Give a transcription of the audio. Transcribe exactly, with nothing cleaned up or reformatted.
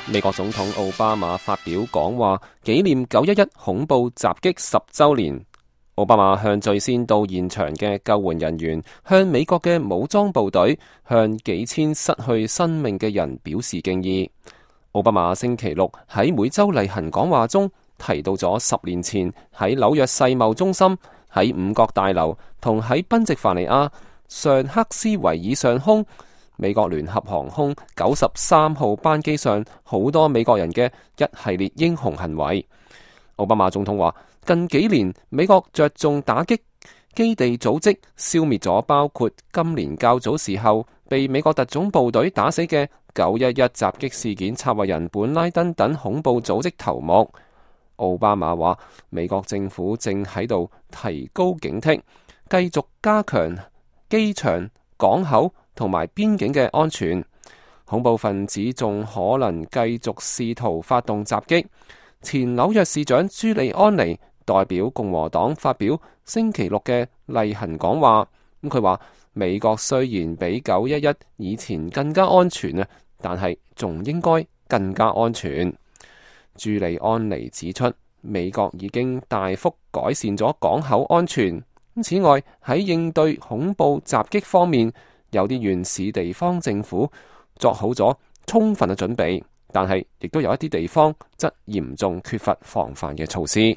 美國總統奧巴馬發表講話，紀念九一一恐怖襲擊十週年。奧巴馬向最先到現場嘅救援人員、向美國嘅武裝部隊、向幾千失去生命嘅人表示敬意。奧巴馬星期六喺每週例行講話中提到咗十年前喺紐約世貿中心、喺五角大樓同喺賓夕凡尼亞上克斯維爾上空美國聯合航空九十三號班機上好多美國人嘅一系列英雄行為。奧巴馬總統話，近幾年美國着重打擊基地組織，消滅咗包括今年較早時候被美國特種部隊打死嘅九一一襲擊事件策劃人本拉登等恐怖組織頭目。奧巴馬話，美國政府正喺度提高警惕，繼續加強機場、港口同埋邊境嘅安全。恐怖分子仲可能繼續試圖發動襲擊。前紐約市長朱利安尼代表共和黨發表星期六嘅例行講話，咁佢話美國雖然比九一一以前更加安全啊，但係仲應該更加安全。朱利安尼指出，美國已經大幅改善咗港口安全。此外，喺應對恐怖襲擊方面，有啲縣市地方政府作好咗充分嘅準備，但係亦都有一啲地方則嚴重缺乏防範嘅措施。